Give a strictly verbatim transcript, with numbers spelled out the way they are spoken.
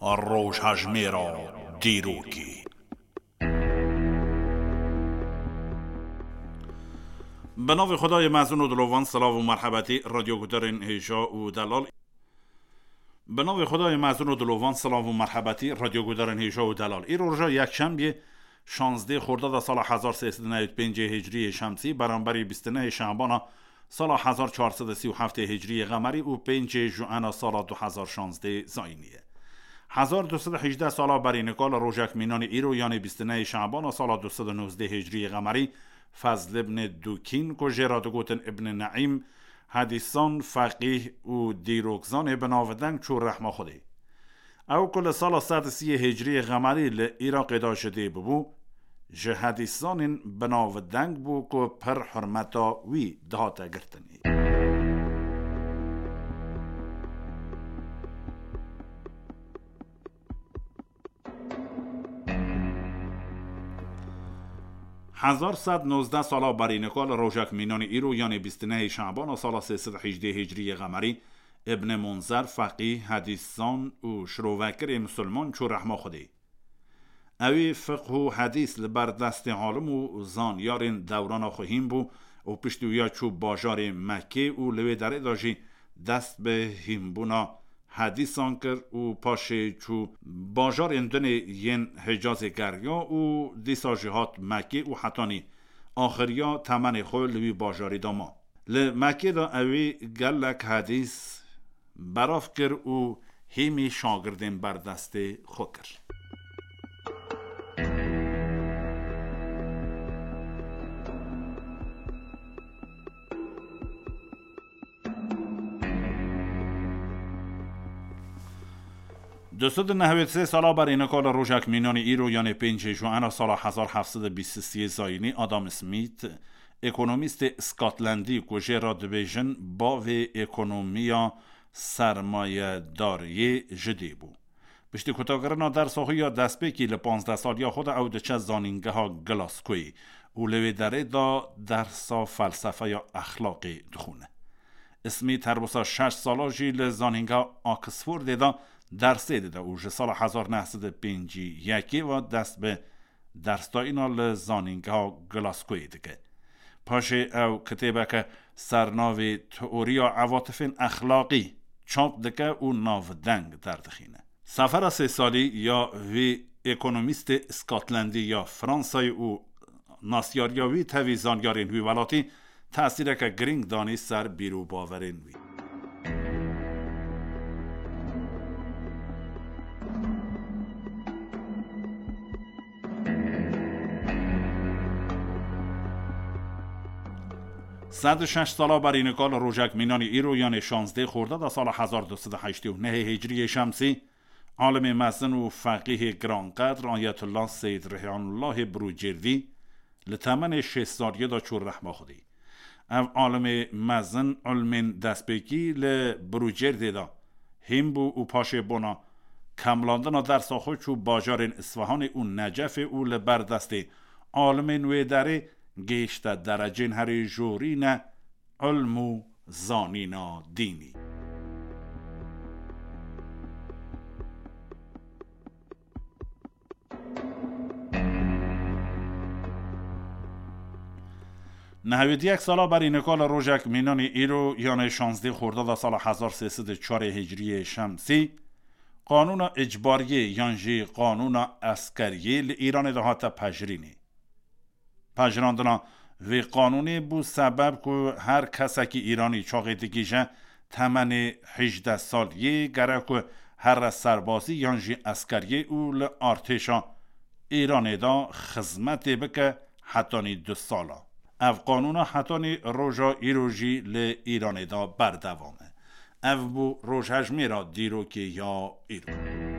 Rojhejmêra dîrokê. Bi navê Xwedayê mezin û dilovan, silav û merhebetî radyogudarên hêja û delal. Bi navê Xwedayê mezin û dilovan, silav û merhebetî radyogudarên hêja û delal. Îro roja yekşembiyê, şazdeh Xordada sala hezar sê sed û newî pêncê Hicriyê Şemsî, beramberî bîst û nehê Şabana sala hezar çar sed û sî û heftê Hicriyê Qemerî û pêncê Juena sala du hezar şazdeh Zayînî ye. Hezar du sed û hejdeh sala berî nika li rojek mînanî îro, yanê bîst û nehê Şabana sala du sed û nozdeh Hicriyê Qemerî, Fezl ibn Dukîn, ku jê re digotin Ibn Neîm, hedîsan, feqîh û dîrokzanê bi navdeng çû rehma Xwedê. Ew ku li sala sed û sî Hicriyê Qemerî li Iraqê de ji dê bibû, ji hedîsanên bi navdeng bû ku pir hurmeta wî dihate girtinê. Hezar sed nozdeh sala berî nika li rojek mînanî îro, yanê bîst û nehê Şabana sala sê sed û hejdeh Hicriyê Qemerî, Ibn Munzer, feqîh, hedîszan û şirovekirê misilman çû rehma Xwedê. Ewî fiqh û hedîs li ber destê alim û zanyarên dewrana xwe hîn bû û piştî wî ya çû bajarê Mekkê û li wê derê de jî dest bi hînbûna hedîsan kir û paşê çû bajarên dinê yên Hicazê geriya û dîsa jî hat Mekkê û hetanî axiriya temenê xwe li wî bajarî de ma. Li Mekkê de ewî gelek hedîs berav kir û hîmî şagirdên berdestê xwe kir. Du sed û nehwêd sê sala berî nika li rojek mînanî îro, yanê pêncê Juena sala hezar heft sed û bîst û sê Zayînî, Adam Smith, ekonomîstê Skatlendî ku jê re dibêjin bavê ekonomiya sermayedariyê, ji dê bû. Piştî kutakirina dersa xwe ya destpêkî li panzdeh saliya xwe de ew diçe zanîngeha Glasgoyê û li wê derê de dersa felsefeya exlaqê dixwîne. Smith her wisa şeş sala jî li zanîngeha Oxfordê de dersê dide û ji sala hezar neh sed û pêncî yekê ve dest bi dersdayîna li zanîngeha Glasgoyê dike. Paşê ew kitêbeke ser navê Teoriya Evatifên Exlaqî çap dike û navdeng derdixîne. Sefera sê salî ya vî ekonomîstê Skatlendî ya Fransayê û nasyariya wî tevî zanyarên wî welatî tesîreke girîng danî ser bîr û bawerên wî. Sed û şeş sala berî nika li rojek mînanî îro, yanê şazdeh Xordada sala hezar du sed û heştê û nehê Hicriyê Şemsî, alimê mezin û feqîhê giranqedr Ayetullah Seyyid Rihyanullahê Birûcêrdî li temenê şêst saliyê de çû rehma Xwedê. Ev alimê mezin ilmên destpêkî li Birûcêrdê de hîn bû û paşê bona kemlandina dersa xwe çû bajarên Isfahanê û Necefê û li ber destê alimên wê derê gihişte derecên herî jorîne ilm û zanîna dînî. Nehewêd yek sala berî nika li rojek mînanî îro, yanê şazdeh Xordada sala hezar sê sed û çarê Hicriyê Şemsî, qanûna îcbariyê yan jî qanûna eskeriyê li Îranê de hate pejirînê. Pejirandina vê qanûnê bû sebeb ku her kesekî Îranî çaxê digihîje temenê hejdeh saliyê, gerek ku here serbazî yan jî eskeriyê û li artêşa Îranê de xizmetê bike hetanî du sala. Ev qanûna hetanî roja îro jî li Îranê de berdewam e. Ev bû rojhejmêra dîrokê ya îro.